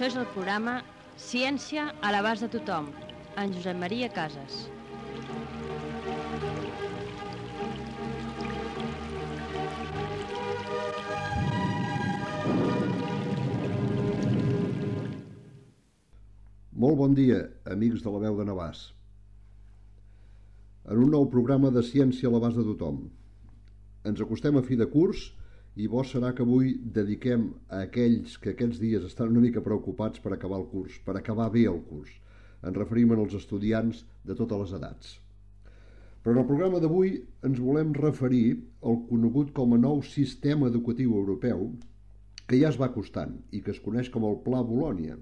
Això és el programa Ciència a l'abast de tothom, en Josep Maria Casas. Molt bon dia, amics de la veu de Navàs. En un nou programa de Ciència a l'abast de tothom. Ens acostem a fi de curs i bo serà que avui dediquem a aquells que aquests dies estan una mica preocupats per acabar el curs, per acabar bé el curs. Ens referim als estudiants de totes les edats. Però en el programa d'avui ens volem referir al conegut com a nou sistema educatiu europeu que ja es va acostant i que es coneix com el Pla Bolònia.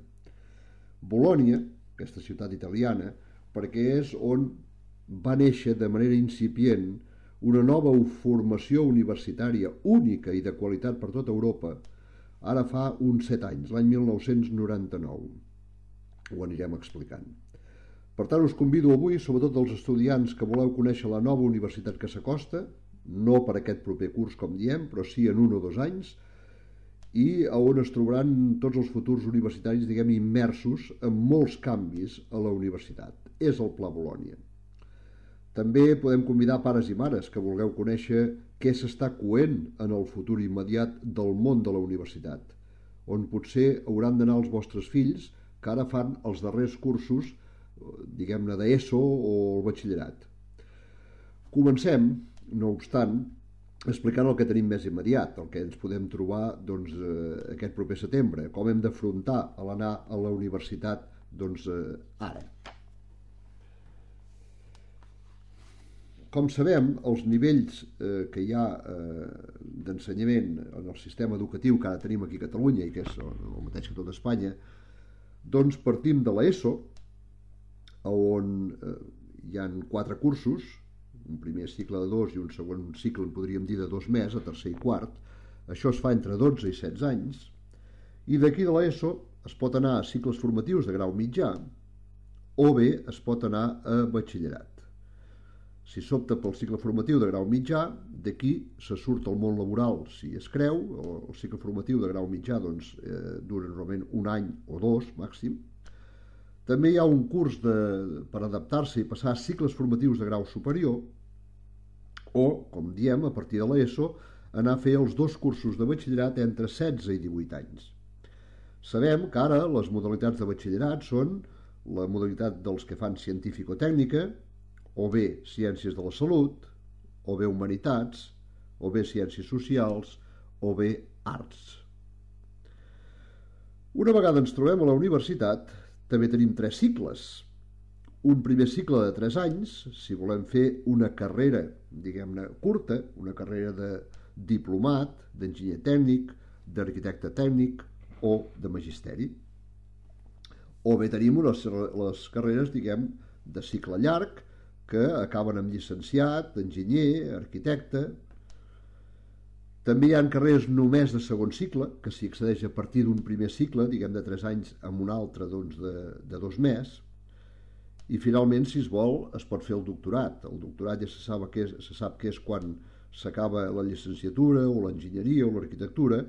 Bolònia, aquesta ciutat italiana, perquè és on va néixer de manera incipient una nova formació universitària única i de qualitat per tota Europa, ara fa uns 7 anys, l'any 1999. Ho anirem explicant. Per tant, us convido avui, sobretot els estudiants que voleu conèixer la nova universitat que s'acosta, no per aquest proper curs, com diem, però sí en 1 o 2 anys, i on es trobaran tots els futurs universitaris, diguem, immersos en molts canvis a la universitat. És el Pla Bolònia. També podem convidar pares i mares que vulgueu conèixer què s'està coent en el futur immediat del món de la universitat, on potser hauran d'anar els vostres fills que ara fan els darrers cursos, diguem-ne, d'ESO o el batxillerat. Comencem, no obstant, explicant el que tenim més immediat, el que ens podem trobar aquest proper setembre, com hem d'afrontar a l'anar a la universitat ara. Com sabem, els nivells que hi ha d'ensenyament en el sistema educatiu que ara tenim aquí a Catalunya i que és el mateix que tot Espanya, doncs partim de l'ESO, on hi ha 4 cursos, un primer cicle de 2 i un segon cicle, en podríem dir, de 2 més, a tercer i quart. Això es fa entre 12 i 16 anys. I d'aquí de l'ESO es pot anar a cicles formatius de grau mitjà o bé es pot anar a batxillerat. Si s'opta pel cicle formatiu de grau mitjà, d'aquí se surt al món laboral, si es creu. El cicle formatiu de grau mitjà dura normalment 1 any o 2 màxim. També hi ha un curs per adaptar-se i passar a cicles formatius de grau superior o, com diem, a partir de l'ESO, anar a fer els 2 cursos de batxillerat entre 16 i 18 anys. Sabem que ara les modalitats de batxillerat són la modalitat dels que fan científico-tècnica, o bé ciències de la salut, o bé humanitats, o bé ciències socials, o bé arts. Una vegada ens trobem a la universitat, també tenim 3 cicles. Un primer cicle de 3 anys, si volem fer una carrera, diguem-ne, curta, una carrera de diplomat, d'enginyer tècnic, d'arquitecte tècnic o de magisteri. O bé tenim les carreres, diguem, de cicle llarg, que acaben amb llicenciat, enginyer, arquitecte. També hi ha carreres només de segon cicle, que s'hi accedeix a partir d'un primer cicle, diguem, de 3 anys, amb un altre de 2 més. I finalment, si es vol, es pot fer el doctorat. El doctorat ja se sap que és quan s'acaba la llicenciatura o l'enginyeria o l'arquitectura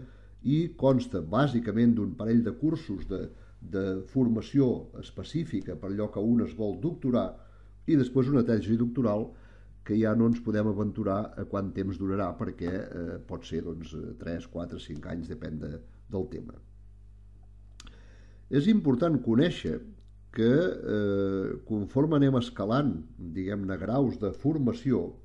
i consta bàsicament d'un parell de cursos de formació específica per allò que un es vol doctorar i després una tesi doctoral que ja no ens podem aventurar a quant temps durarà perquè pot ser 3, 4, 5 anys, depèn del tema. És important conèixer que conforme anem escalant, diguem-ne, graus de formació,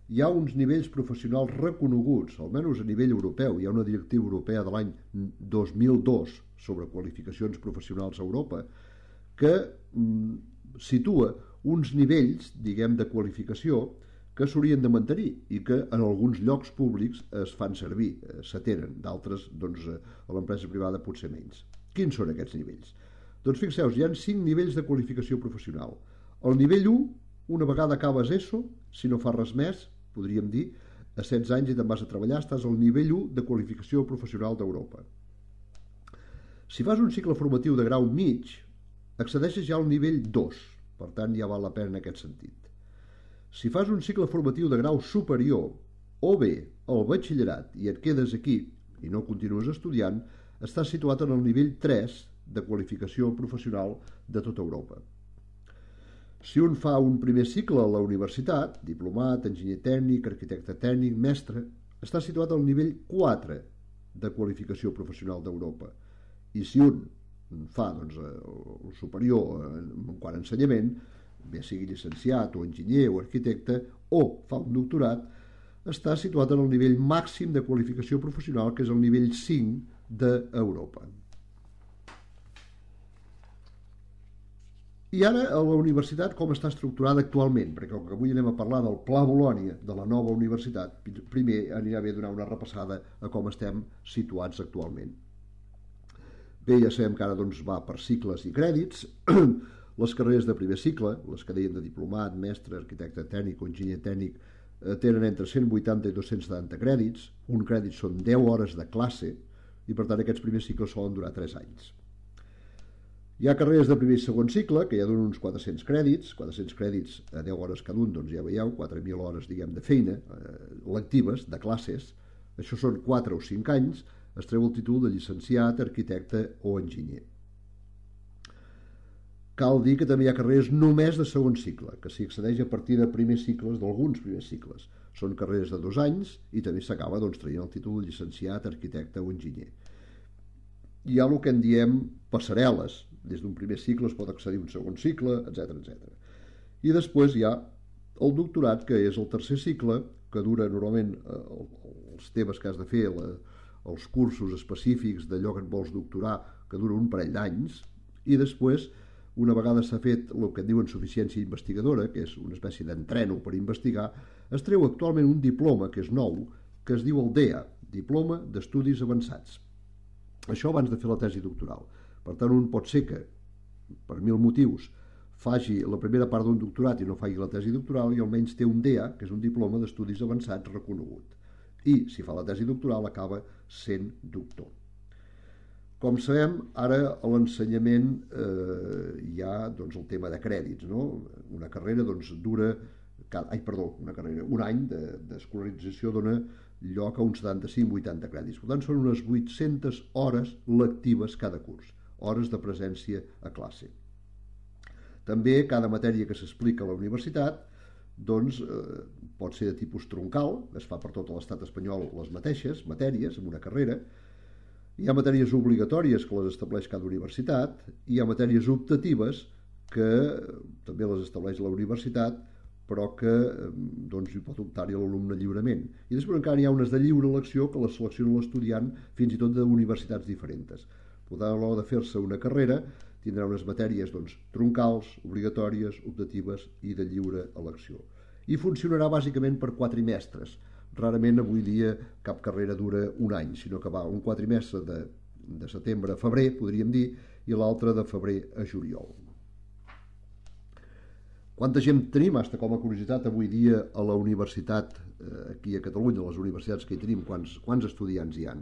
hi ha uns nivells professionals reconeguts, almenys a nivell europeu. Hi ha una directiva europea de l'any 2002 sobre qualificacions professionals a Europa que situa uns nivells, diguem, de qualificació que s'haurien de mantenir i que en alguns llocs públics es fan servir, s'atenen, d'altres, a l'empresa privada potser menys. Quins són aquests nivells? Doncs fixeu-vos, hi ha 5 nivells de qualificació professional. El nivell 1, una vegada acabes ESO, si no fas res més, podríem dir, a 16 anys i te'n vas a treballar, estàs al nivell 1 de qualificació professional d'Europa. Si fas un cicle formatiu de grau mig, accedeixes ja al nivell 2, per tant ja val la pena en aquest sentit. Si fas un cicle formatiu de grau superior o bé el batxillerat i et quedes aquí i no continues estudiant, està situat en el nivell 3 de qualificació professional de tota Europa. Si un fa un primer cicle a la universitat, diplomat, enginyer tècnic, arquitecte tècnic, mestre, està situat al nivell 4 de qualificació professional d'Europa. I si un fa el superior en quant a ensenyament, bé sigui llicenciat o enginyer o arquitecte, o fa un doctorat, està situat en el nivell màxim de qualificació professional, que és el nivell 5 d'Europa. I ara a la universitat com està estructurada actualment, perquè com que avui anem a parlar del Pla Bolònia, de la nova universitat, primer anirà bé donar una repassada a com estem situats actualment. Bé, ja sabem que ara va per cicles i crèdits. Les carreres de primer cicle, les que dèiem de diplomat, mestre, arquitecte tècnic o enginyer tècnic, tenen entre 180 i 270 crèdits. Un crèdit són 10 hores de classe i per tant aquests primers cicles solen durar 3 anys. Hi ha carreres de primer i segon cicle que ja donen uns 400 crèdits a 10 hores cada un, doncs ja veieu, 4.000 hores de feina lectives, de classes. Això són 4 o 5 anys, es treu el títol de llicenciat, arquitecte o enginyer. Cal dir que també hi ha carreres només de segon cicle, que s'hi accedeix a partir de primers cicles, d'alguns primers cicles. Són carreres de 2 anys i també s'acaba traient el títol de llicenciat, arquitecte o enginyer. Hi ha el que en diem passarel·les. Des d'un primer cicle es pot accedir a un segon cicle, etc. I després hi ha el doctorat, que és el tercer cicle, que dura normalment els temes que has de fer, els cursos específics d'allò que et vols doctorar, que dura un parell d'anys, i després, una vegada s'ha fet el que en diuen suficiència investigadora, que és una espècie d'entreno per investigar, es treu actualment un diploma, que és nou, que es diu el DEA, Diploma d'Estudis Avançats. Això abans de fer la tesi doctoral. Per tant, un pot ser que, per 1000 motius, faci la primera part d'un doctorat i no faci la tesi doctoral i almenys té un DEA, que és un diploma d'estudis avançats reconegut. I, si fa la tesi doctoral, acaba sent doctor. Com sabem, ara a l'ensenyament hi ha el tema de crèdits, no? Una carrera dura... un any d'escolarització dona lloc a uns 75-80 crèdits. Per tant, són unes 800 hores lectives cada curs, hores de presència a classe. També cada matèria que s'explica a la universitat pot ser de tipus troncal, es fa per tot l'estat espanyol les mateixes matèries en una carrera. Hi ha matèries obligatòries que les estableix cada universitat, i hi ha matèries optatives que també les estableix la universitat, però que hi pot optar-hi l'alumne lliurement. I després encara hi ha unes de lliure elecció que les selecciona l'estudiant fins i tot d'universitats diferents. Per tant, a l'hora de fer-se una carrera tindrà unes matèries troncals, obligatòries, optatives i de lliure elecció. I funcionarà bàsicament per quatrimestres. Rarament avui dia cap carrera dura un any, sinó que va un quatrimestre de setembre a febrer, podríem dir, i l'altre de febrer a juliol. Quanta gent tenim, com a curiositat, avui dia a la universitat, aquí a Catalunya, a les universitats que hi tenim, quants estudiants hi ha?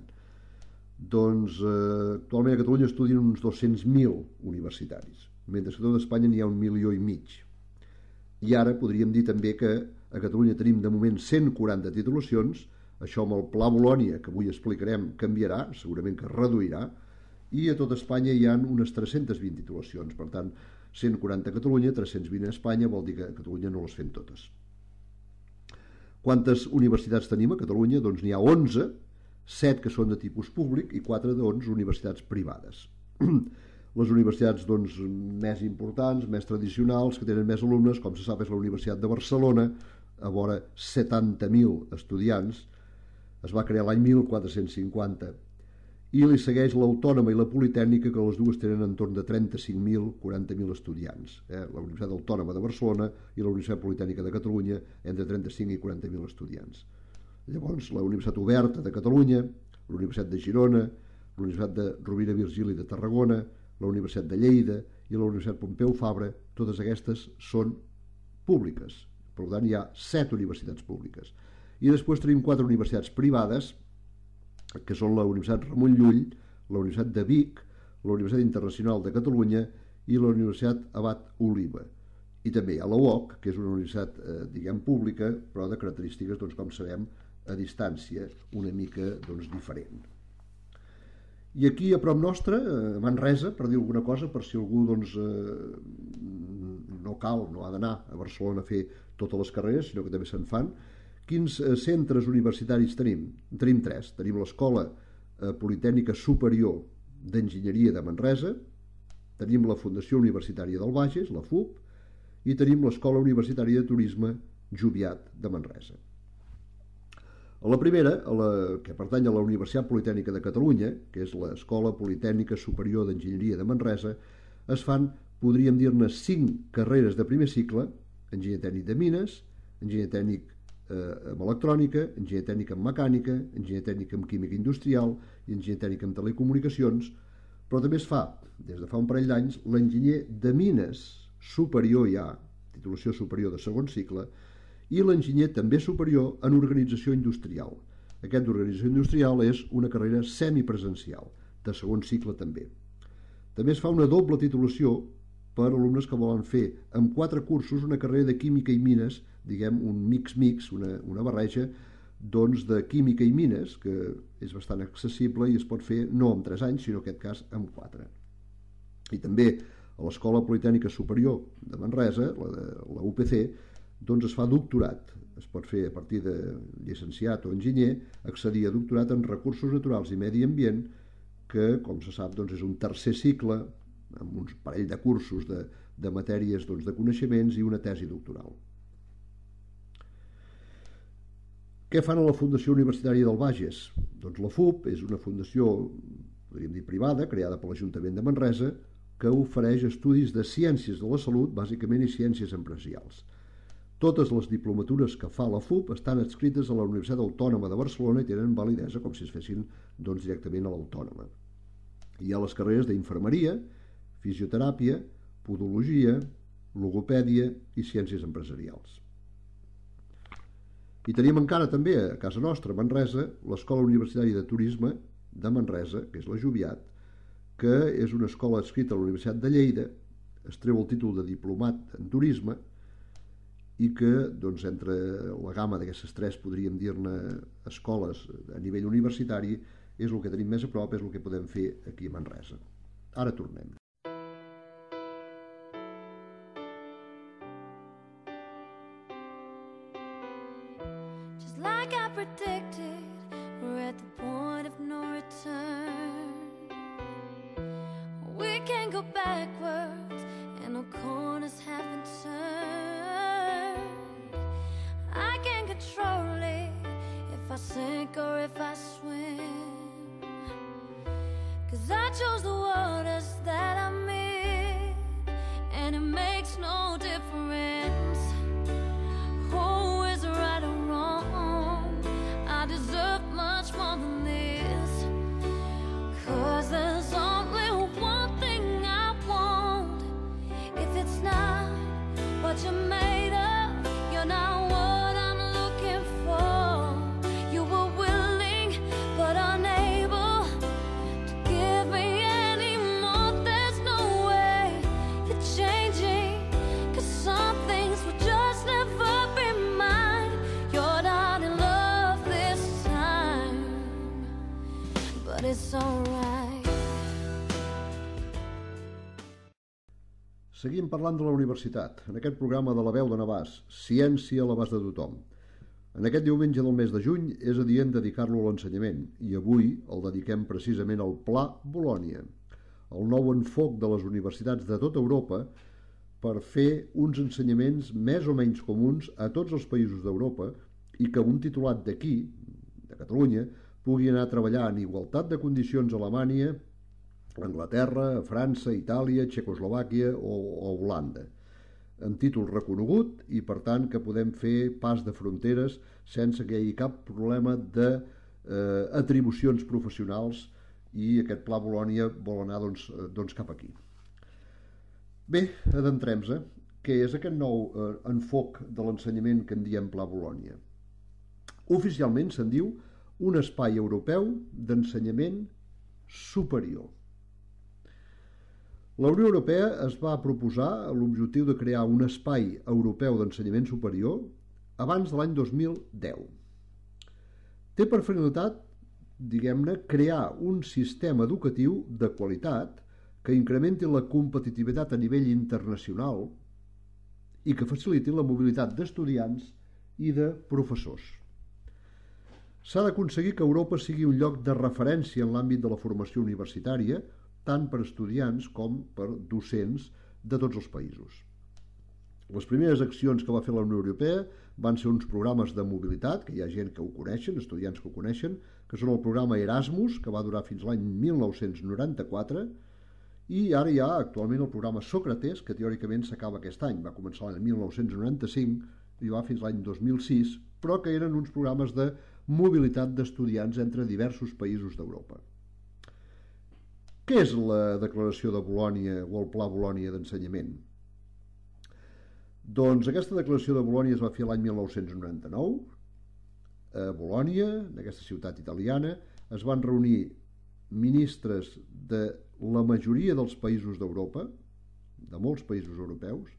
Doncs actualment a Catalunya estudien uns 200.000 universitaris, mentre que a tot Espanya n'hi ha 1,5 milions. I ara podríem dir també que a Catalunya tenim de moment 140 titulacions, això amb el Pla Bolònia, que avui explicarem, canviarà, segurament que es reduirà, i a tot Espanya hi ha unes 320 titulacions, per tant, 140 a Catalunya, 320 a Espanya, vol dir que a Catalunya no les fem totes. Quantes universitats tenim a Catalunya? Doncs n'hi ha 11, 7 que són de tipus públic i 4 universitats privades. Les universitats més importants, més tradicionals, que tenen més alumnes, com se sap, és la Universitat de Barcelona, a vora 70.000 estudiants, es va crear l'any 1450, i li segueix l'Autònoma i la Politècnica, que les dues tenen entorn de 35.000, 40.000 estudiants. La Universitat Autònoma de Barcelona i la Universitat Politècnica de Catalunya, entre 35 i 40.000 estudiants. Llavors, la Universitat Oberta de Catalunya, la Universitat de Girona, la Universitat de Rovira i Virgili de Tarragona, la Universitat de Lleida i la Universitat Pompeu Fabra, totes aquestes són públiques. Per tant, hi ha 7 universitats públiques. I després tenim 4 universitats privades, que són la Universitat Ramon Llull, la Universitat de Vic, la Universitat Internacional de Catalunya i la Universitat Abat Oliva. I també hi ha la UOC, que és una universitat, pública, però de característiques, com sabem, a distància, una mica diferent. I aquí a prop nostre, a Manresa, per dir alguna cosa, per si algú doncs, no ha d'anar a Barcelona a fer totes les carreres, sinó que també se'n fan. Quins centres universitaris tenim? Tenim 3. Tenim l'Escola Politècnica Superior d'Enginyeria de Manresa, tenim la Fundació Universitària del Bages, la FUB, i tenim l'Escola Universitària de Turisme Joviat de Manresa. A la primera, que pertany a la Universitat Politècnica de Catalunya, que és l'Escola Politècnica Superior d'Enginyeria de Manresa, es fan, podríem dir-ne, 5 carreres de primer cicle: enginyer tècnic de mines, enginyer tècnic en electrònica, enginyer tècnic en mecànica, enginyer tècnic en química industrial i enginyer tècnic en telecomunicacions, però també es fa, des de fa un parell d'anys, l'enginyer de mines superior ja, titulació superior de segon cicle, i l'enginyer també superior en organització industrial. Aquest d'organització industrial és una carrera semipresencial, de segon cicle també. També es fa una doble titulació per alumnes que volen fer amb 4 cursos una carrera de química i mines, diguem un mix, una barreja doncs, de química i mines, que és bastant accessible i es pot fer no en 3 anys, sinó en aquest cas en 4. I també a l'Escola Politècnica Superior de Manresa, la UPC, doncs es fa doctorat. Es pot fer a partir de llicenciat o enginyer, accedir a doctorat en recursos naturals i medi ambient, que, com se sap, doncs és un tercer cicle amb un parell de cursos de matèries doncs, de coneixements i una tesi doctoral. Què fan a la Fundació Universitària del Bages? Doncs la FUB és una fundació, podríem dir privada, creada per l'Ajuntament de Manresa, que ofereix estudis de ciències de la salut, bàsicament, i ciències empresarials. Totes les diplomatures que fa la FUB estan adscrites a la Universitat Autònoma de Barcelona i tenen validesa com si es fessin doncs, directament a l'Autònoma. Hi ha les carreres d'infermeria, fisioteràpia, podologia, logopèdia i ciències empresarials. I tenim encara també a casa nostra, a Manresa, l'Escola Universitària de Turisme de Manresa, que és la Joviat, que és una escola adscrita a la Universitat de Lleida, es treu el títol de diplomat en turisme i que, doncs, entre la gamma d'aquestes 3, podríem dir-ne, escoles a nivell universitari, és el que tenim més a prop, és el que podem fer aquí a Manresa. Ara tornem. Just like I predicted, we're at the point of no return. We can't go backwards, and no corners have been turned. I can't control it, if I sink or if I swim, 'cause I chose the waters that I'm in, and it makes no difference who is right or wrong. I deserve much more than this, 'cause there's only one thing I want. If it's not what you're made of, you're not what I'm looking for. You were willing but unable to give me any more. There's no way you're changing, 'cause some things will just never be mine. You're not in love this time, but it's alright. Seguim parlant de la universitat, en aquest programa de la veu de Navàs, ciència a l'abast de tothom. En aquest diumenge del mes de juny és adient dedicar-lo a l'ensenyament, i avui el dediquem precisament al Pla Bolònia, el nou enfoc de les universitats de tota Europa per fer uns ensenyaments més o menys comuns a tots els països d'Europa i que un titulat d'aquí, de Catalunya, pugui anar a treballar en igualtat de condicions a Alemanya, a Anglaterra, a França, a Itàlia, a Txecoslovàquia o a Holanda, amb títol reconegut i, per tant, que podem fer pas de fronteres sense que hi hagi cap problema d'atribucions professionals, i aquest Pla Bolònia vol anar doncs cap aquí. Bé, adentrem-se. Què és aquest nou enfoc de l'ensenyament que en diem Pla Bolònia? Oficialment se'n diu un espai europeu d'ensenyament superior. La Unió Europea es va proposar l'objectiu de crear un espai europeu d'ensenyament superior abans de l'any 2010. Té per finalitat diguem-ne, crear un sistema educatiu de qualitat que incrementi la competitivitat a nivell internacional i que faciliti la mobilitat d'estudiants i de professors. S'ha d'aconseguir que Europa sigui un lloc de referència en l'àmbit de la formació universitària, tant per estudiants com per docents de tots els països. Les primeres accions que va fer la Unió Europea van ser uns programes de mobilitat, que hi ha gent que ho coneixen, estudiants que ho coneixen, que són el programa Erasmus, que va durar fins l'any 1994, i ara hi ha actualment el programa Sòcrates, que teòricament s'acaba aquest any. Va començar l'any 1995 i va fins l'any 2006, però que eren uns programes de mobilitat d'estudiants entre diversos països d'Europa. Què és la Declaració de Bolònia o el Pla Bolònia d'ensenyament? Doncs aquesta declaració de Bolònia es va fer l'any 1999. A Bolònia, en aquesta ciutat italiana, es van reunir ministres de la majoria dels països d'Europa, de molts països europeus,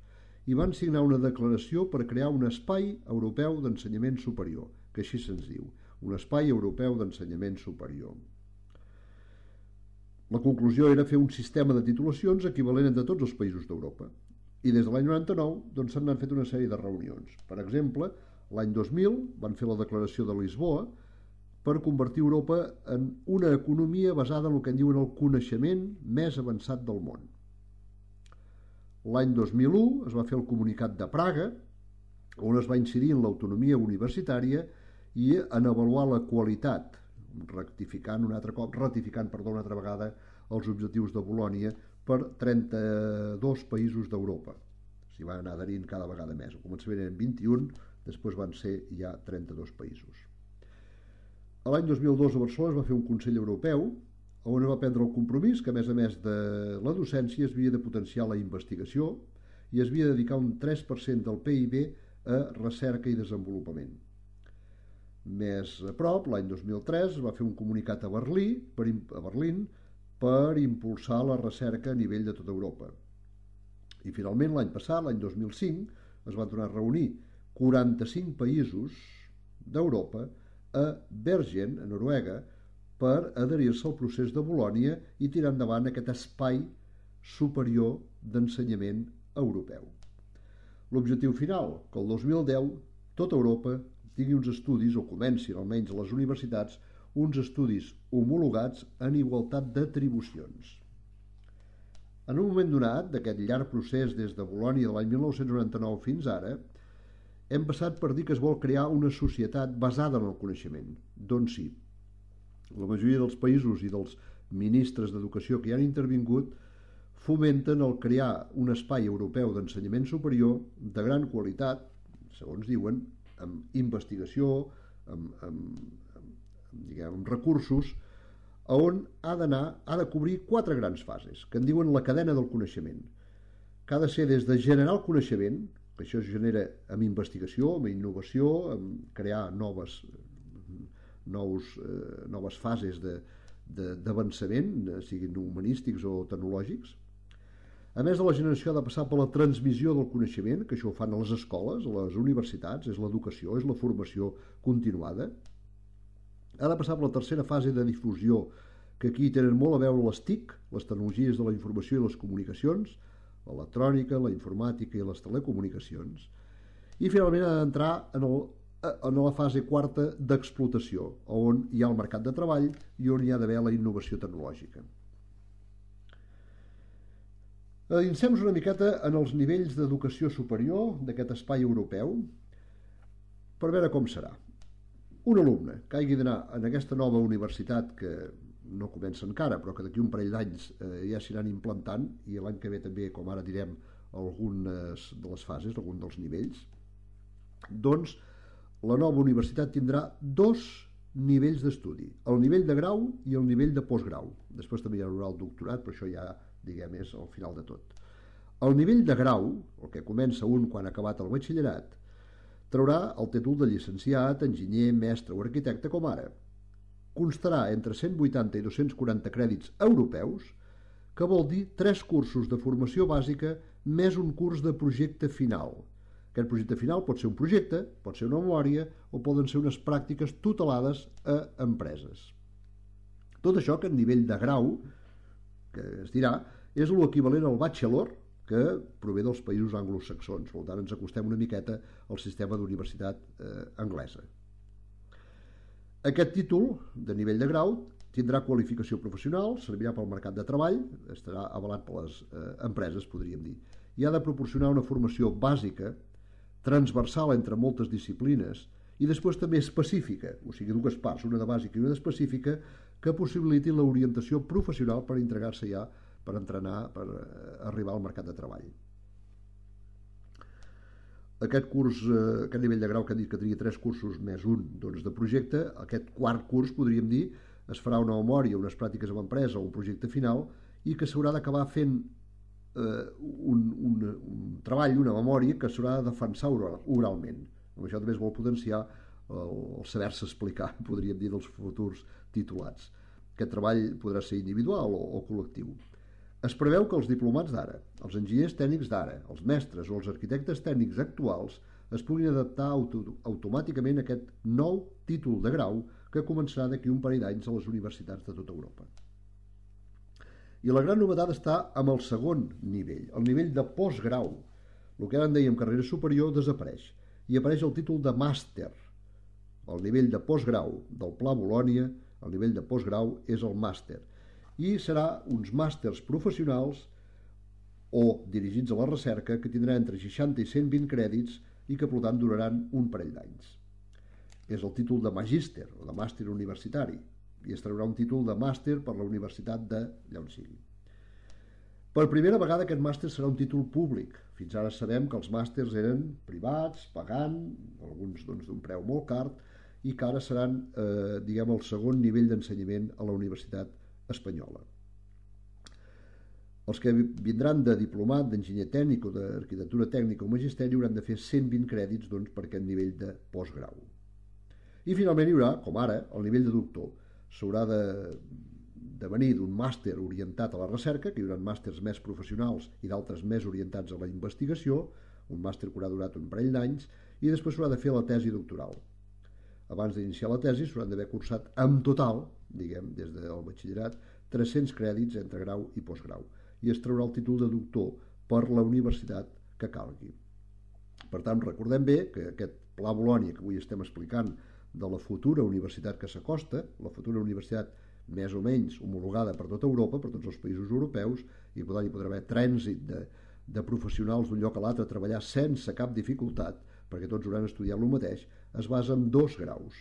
i van signar una declaració per crear un espai europeu d'ensenyament superior, que així se'ns diu, un espai europeu d'ensenyament superior. La conclusió era fer un sistema de titulacions equivalent de tots els països d'Europa. I des de l'any 99 se n'han fet una sèrie de reunions. Per exemple, l'any 2000 van fer la declaració de Lisboa per convertir Europa en una economia basada en el que en diuen el coneixement més avançat del món. L'any 2001 es va fer el Comunicat de Praga, on es va incidir en l'autonomia universitària i en avaluar la qualitat, ratificant una altra vegada els objectius de Bolònia per 32 països d'Europa. S'hi van anar adherint cada vegada més. Al començament eren 21, després van ser ja 32 països. L'any 2002 a Barcelona es va fer un Consell Europeu on es va prendre el compromís que, a més de la docència, es havia de potenciar la investigació i es havia de dedicar un 3% del PIB a recerca i desenvolupament. Més a prop, l'any 2003, es va fer un comunicat a Berlín per impulsar la recerca a nivell de tota Europa. I finalment, l'any passat, l'any 2005, es van tornar a reunir 45 països d'Europa a Bergen, a Noruega, per adherir-se al procés de Bolònia i tirar endavant aquest espai superior d'ensenyament europeu. L'objectiu final, que el 2010 tota Europa tingui uns estudis, o comencin almenys a les universitats, uns estudis homologats en igualtat d'atribucions. En un moment donat, d'aquest llarg procés des de Bolònia de l'any 1999 fins ara, hem passat per dir que es vol crear una societat basada en el coneixement. Doncs sí, la majoria dels països i dels ministres d'educació que hi han intervingut fomenten el crear un espai europeu d'ensenyament superior de gran qualitat, segons diuen, amb investigació, amb recursos, on ha de cobrir 4 grans fases, que en diuen la cadena del coneixement, que ha de ser des de generar el coneixement, que això es genera amb investigació, amb innovació, amb crear noves fases d'avançament, siguin humanístics o tecnològics. A més de la generació ha de passar per la transmissió del coneixement, que això ho fan a les escoles, a les universitats, és l'educació, és la formació continuada. Ha de passar per la tercera fase de difusió, que aquí tenen molt a veure les TIC, les tecnologies de la informació i les comunicacions, l'electrònica, la informàtica i les telecomunicacions. I finalment ha d'entrar en la fase quarta d'explotació, on hi ha el mercat de treball i on hi ha d'haver la innovació tecnològica. Adinsem-nos una miqueta en els nivells d'educació superior d'aquest espai europeu per veure com serà. Un alumne que hagi d'anar en aquesta nova universitat, que no comença encara, però que d'aquí un parell d'anys ja s'aniran implantant, i l'any que ve també, com ara direm, algunes de les fases, alguns dels nivells, doncs la nova universitat tindrà 2 nivells d'estudi, el nivell de grau i el nivell de postgrau. Després també hi haurà el doctorat, però això ja, diguem, és al final de tot. El nivell de grau, el que comença un quan ha acabat el batxillerat, traurà el títol de llicenciat, enginyer, mestre o arquitecte com ara. Constarà entre 180 i 240 crèdits europeus, que vol dir 3 cursos de formació bàsica més un curs de projecte final. Aquest projecte final pot ser un projecte, pot ser una memòria o poden ser unes pràctiques tutelades a empreses. Tot això, aquest nivell de grau, que es dirà, és l'equivalent al bachelor que prové dels països anglosaxons. Per tant, ens acostem una miqueta al sistema d'universitat anglesa. Aquest títol de nivell de grau tindrà qualificació professional, servirà pel mercat de treball, estarà avalat per les empreses, podríem dir, i ha de proporcionar una formació bàsica, transversal entre moltes disciplines, i després també específica, o sigui, dues parts, una de bàsica i una d'específica, que possibiliti l'orientació professional per entregar-se ja, per entrenar, per arribar al mercat de treball. Aquest curs, aquest nivell de grau que hem dit que tenia 3 cursos més un de projecte, aquest quart curs, podríem dir, es farà una memòria, unes pràctiques amb empresa o un projecte final, i que s'haurà d'acabar fent un treball, una memòria que s'haurà de defensar oralment. Amb això també es vol potenciar el saber-se explicar, podríem dir, dels futurs titulats. Aquest treball podrà ser individual o col·lectiu. Es preveu que els diplomats d'ara, els enginyers tècnics d'ara, els mestres o els arquitectes tècnics actuals es puguin adaptar automàticament a aquest nou títol de grau que començarà d'aquí un parell d'anys a les universitats de tota Europa. I la gran novetat està amb el segon nivell, el nivell de postgrau. El que ara en dèiem carrera superior desapareix i apareix el títol de màster. El nivell de postgrau del Pla Bolònia, el nivell de postgrau és el màster. I serà uns màsters professionals o dirigits a la recerca que tindran entre 60 i 120 crèdits i que, per tant, duraran un parell d'anys. És el títol de magíster o de màster universitari i es traurà un títol de màster per la universitat d'allà on sigui. Per primera vegada aquest màster serà un títol públic. Fins ara sabem que els màsters eren privats, pagant, alguns d'un preu molt car, i que ara seran el segon nivell d'ensenyament a la universitat espanyola. Els que vindran de diplomat, d'enginyer tècnic o d'arquitectura tècnica o magisteri hauran de fer 120 crèdits per aquest nivell de postgrau. I finalment hi haurà, com ara, el nivell de doctor. S'haurà de venir d'un màster orientat a la recerca, que hi haurà màsters més professionals i d'altres més orientats a la investigació, un màster que haurà durat un parell d'anys, i després s'haurà de fer la tesi doctoral. Abans d'iniciar la tesi s'hauran d'haver cursat en total, des del batxillerat, 300 crèdits entre grau i postgrau, i es traurà el títol de doctor per la universitat que calgui. Per tant, recordem bé que aquest Pla Bolònia que avui estem explicant de la futura universitat que s'acosta, la futura universitat més o menys homologada per tota Europa, per tots els països europeus, i per tant hi podrà haver trànsit de professionals d'un lloc a l'altre a treballar sense cap dificultat, perquè tots hauran estudiat el mateix, es basa en 2 graus.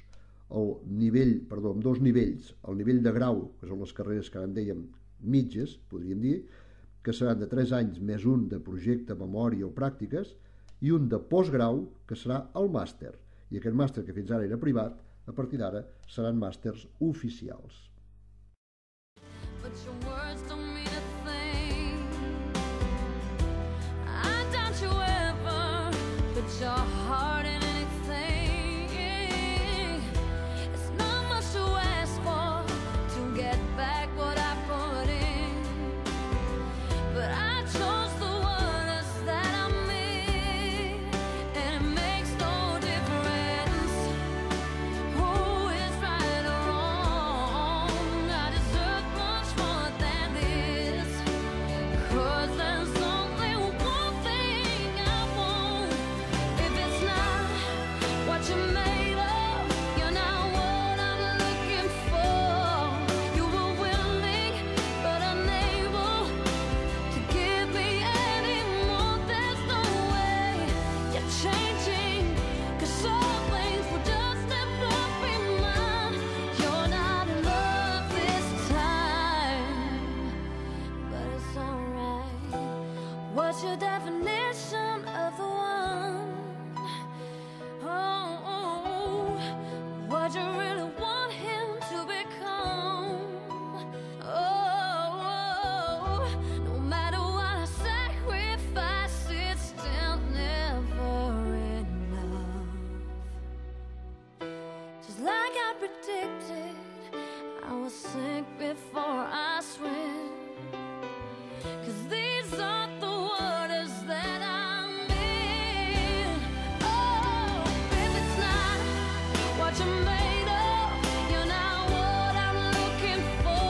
En 2 nivells. El nivell de grau, que són les carreres que ara en dèiem mitges, podríem dir, que seran de 3 anys més un de projecte, memòria o pràctiques, i un de postgrau, que serà el màster. I aquest màster, que fins ara era privat, a partir d'ara seran màsters oficials. What's your definition of the one? Oh, what you really want him to become? Oh, no matter what I sacrifice, it's still never enough. Just like I predicted, I will sink before I swim. 'Cause these are the waters that I'm in. Oh, if it's not what you're made of, you're not what I'm looking for.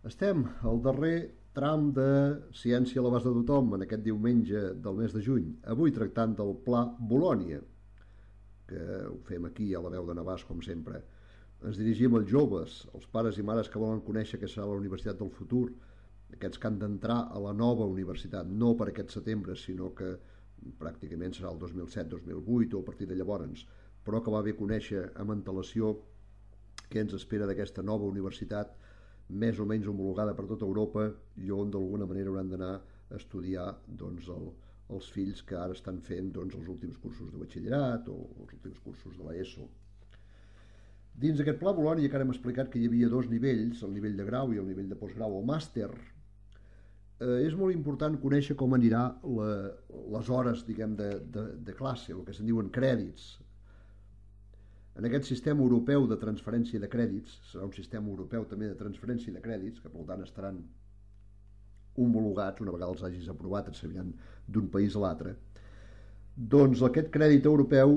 Estem al darrer tram de Ciència a l'abast de tothom en aquest diumenge del mes de juny, avui tractant del Pla Bolònia, que ho fem aquí a la veu de Navàs, com sempre. Ens dirigim als joves, als pares i mares que volen conèixer què serà la universitat del futur, aquests que han d'entrar a la nova universitat, no per aquest setembre, sinó que pràcticament serà el 2007-2008 o a partir de llavors, però que va bé conèixer amb antelació què ens espera d'aquesta nova universitat més o menys homologada per tota Europa i on d'alguna manera hauran d'anar a estudiar doncs, els fills que ara estan fent doncs, els últims cursos de batxillerat o els últims cursos de l'ESO. Dins d'aquest Pla Bolònia que ara hem explicat que hi havia dos nivells, el nivell de grau i el nivell de postgrau o màster, és molt important conèixer com anirà les hores diguem, de classe, el que se'n diuen crèdits. En aquest sistema europeu de transferència de crèdits, serà un sistema europeu també de transferència de crèdits, que per tant estaran homologats, una vegada els hagis aprovat, et serviran d'un país a l'altre, doncs aquest crèdit europeu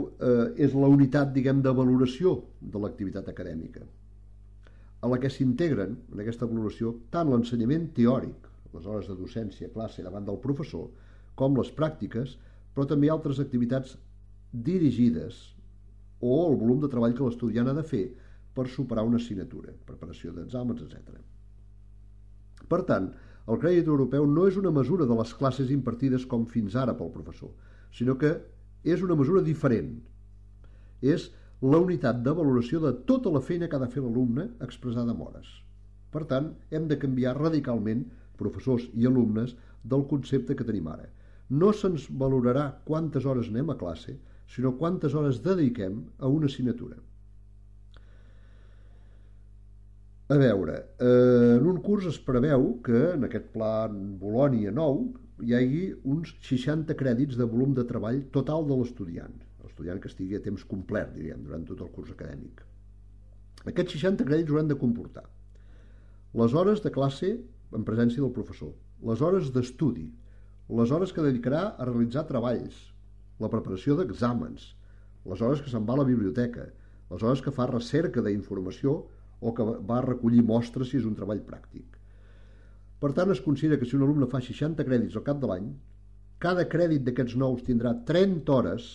és la unitat, diguem, de valoració de l'activitat acadèmica, a la que s'integren en aquesta valoració tant l'ensenyament teòric, les hores de docència, classe davant del professor, com les pràctiques, però també altres activitats dirigides o el volum de treball que l'estudiant ha de fer per superar una assignatura, preparació d'exàmens, etc. Per tant, el crèdit europeu no és una mesura de les classes impartides com fins ara pel professor, sinó que és una mesura diferent. És la unitat de valoració de tota la feina que ha de fer l'alumne expressada en hores. Per tant, hem de canviar radicalment, professors i alumnes, del concepte que tenim ara. No se'ns valorarà quantes hores anem a classe, sinó quantes hores dediquem a una assignatura. A veure, en un curs es preveu que en aquest pla Bolònia nou hi hagi uns 60 crèdits de volum de treball total de l'estudiant que estigui a temps complet, diríem, durant tot el curs acadèmic. Aquests 60 crèdits hauran de comportar les hores de classe en presència del professor, les hores d'estudi, les hores que dedicarà a realitzar treballs, la preparació d'exàmens, les hores que se'n va a la biblioteca, les hores que fa recerca d'informació o que va a recollir mostres si és un treball pràctic. Per tant, es considera que si un alumne fa 60 crèdits al cap de l'any, cada crèdit d'aquests nous tindrà 30 hores,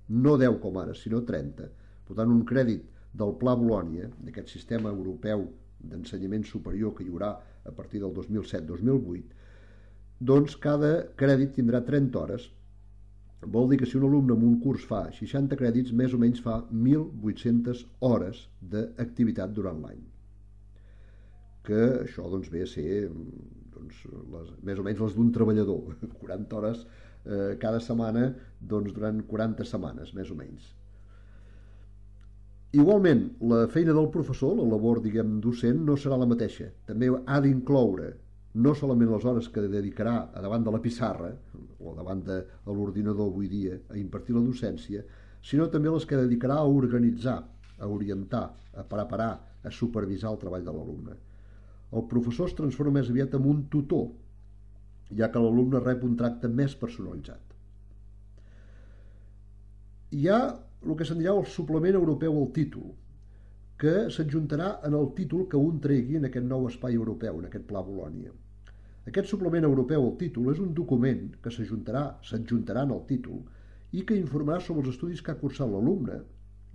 no 10 com ara, sinó 30. Per tant, un crèdit del Pla Bolònia, d'aquest sistema europeu d'ensenyament superior que hi haurà a partir del 2007-2008, doncs cada crèdit tindrà 30 hores. Vol dir que si un alumne en un curs fa 60 crèdits, més o menys fa 1.800 hores d'activitat durant l'any. Que això doncs, ve a ser doncs, més o menys les d'un treballador, 40 hores cada setmana doncs, durant 40 setmanes, més o menys. Igualment, la feina del professor, la labor diguem, docent, no serà la mateixa. També ha d'incloure no solament les hores que dedicarà a davant de la pissarra o davant de l'ordinador avui dia a impartir la docència, sinó també les que dedicarà a organitzar, a orientar, a preparar, a supervisar el treball de l'alumne. El professor es transforma més aviat en un tutor, ja que l'alumne rep un tracte més personalitzat. Hi ha el que se'n dirà el suplement europeu al títol, que s'adjuntarà en el títol que un tregui en aquest nou espai europeu, en aquest Pla Bolònia. Aquest suplement europeu al títol és un document que s'adjuntarà en el títol i que informarà sobre els estudis que ha cursat l'alumne,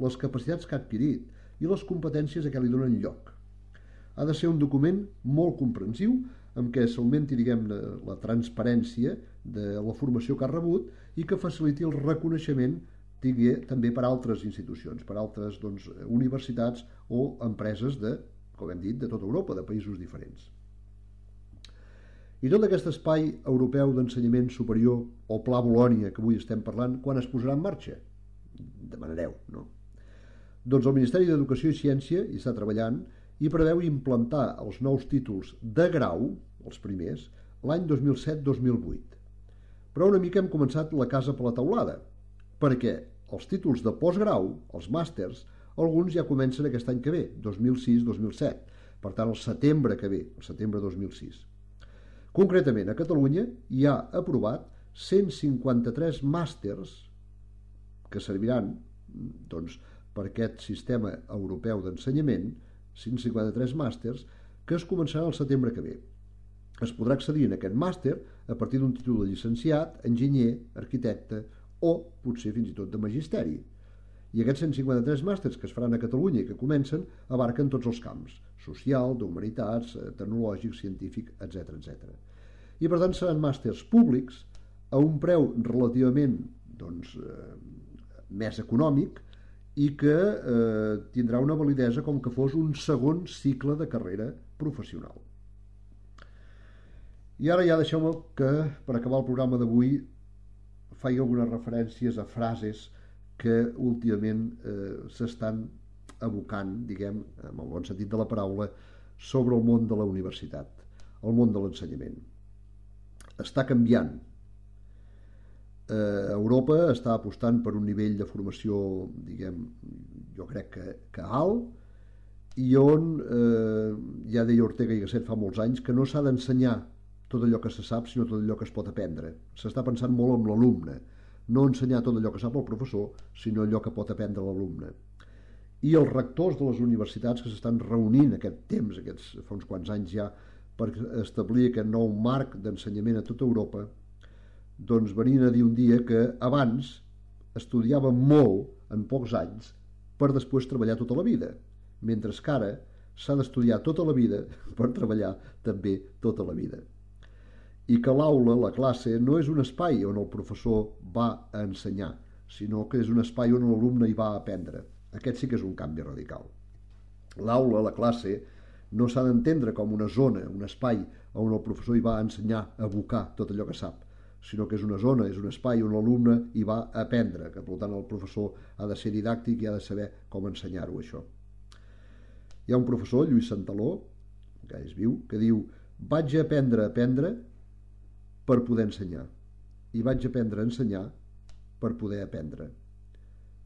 les capacitats que ha adquirit i les competències a què li donen lloc. Ha de ser un document molt comprensiu en què s'augmenti diguem-ne la transparència de la formació que ha rebut i que faciliti el reconeixement també per altres institucions, per altres doncs, universitats o empreses de, com hem dit, de tota Europa, de països diferents. I tot aquest espai europeu d'ensenyament superior o Pla Bolònia que avui estem parlant, quan es posarà en marxa? Demanareu, no? Doncs el Ministeri d'Educació i Ciència hi està treballant i preveu implantar els nous títols de grau, els primers, l'any 2007-2008. Però una mica hem començat la casa per la teulada, perquè els títols de postgrau, els màsters, alguns ja comencen aquest any que ve, 2006-2007, per tant el setembre que ve, el setembre 2006. Concretament, a Catalunya hi ha aprovat 153 màsters que serviran doncs, per aquest sistema europeu d'ensenyament, 153 màsters que es començarà el setembre que ve. Es podrà accedir en aquest màster a partir d'un títol de llicenciat, enginyer, arquitecte o potser fins i tot de magisteri. I aquests 153 màsters que es faran a Catalunya i que comencen abarquen tots els camps, social, d'humanitats, tecnològic, científic, etc etc. I per tant seran màsters públics a un preu relativament més econòmic i que tindrà una validesa com que fos un segon cicle de carrera professional. I ara ja deixeu-me que, per acabar el programa d'avui, faig algunes referències a frases que últimament s'estan abocant, diguem, en el bon sentit de la paraula, sobre el món de la universitat, el món de l'ensenyament. Està canviant. Europa està apostant per un nivell de formació, diguem, jo crec que alt, i on ja deia Ortega i Gasset fa molts anys que no s'ha d'ensenyar tot allò que se sap, sinó tot allò que es pot aprendre. S'està pensant molt en l'alumne, no ensenyar tot allò que sap el professor, sinó allò que pot aprendre l'alumne. I els rectors de les universitats que s'estan reunint aquest temps, fa uns quants anys ja, per establir aquest nou marc d'ensenyament a tota Europa, doncs venien a dir un dia que abans estudiàvem molt en pocs anys per després treballar tota la vida, mentre que ara s'ha d'estudiar tota la vida per treballar també tota la vida. I que l'aula, la classe, no és un espai on el professor va a ensenyar, sinó que és un espai on l'alumne hi va a aprendre. Aquest sí que és un canvi radical. L'aula, la classe, no s'ha d'entendre com una zona, un espai on el professor hi va a ensenyar, a abocar tot allò que sap, sinó que és una zona, és un espai on l'alumne hi va a aprendre, que per tant el professor ha de ser didàctic i ha de saber com ensenyar-ho, això. Hi ha un professor, Lluís Santaló, que és viu, que diu: vaig aprendre a aprendre per poder ensenyar, i vaig aprendre a ensenyar per poder aprendre.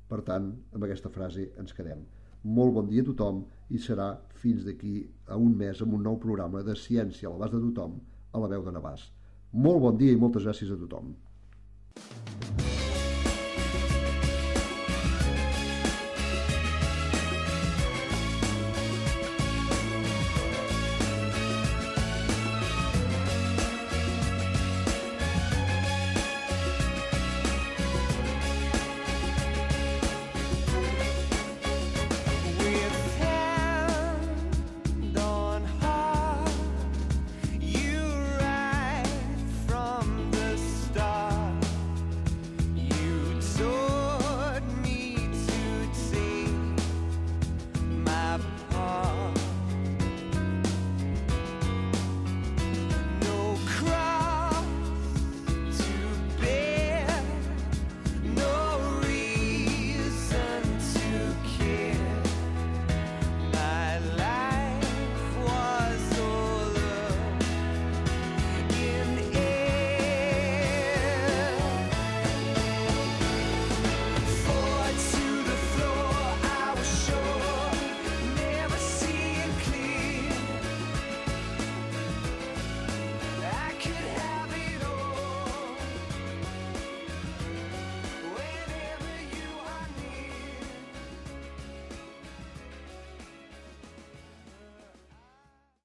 Per tant, amb aquesta frase ens quedem. Molt bon dia a tothom i serà fins d'aquí a un mes amb un nou programa de Ciència a l'abast de tothom, a la veu de Navàs. Molt bon dia i moltes gràcies a tothom.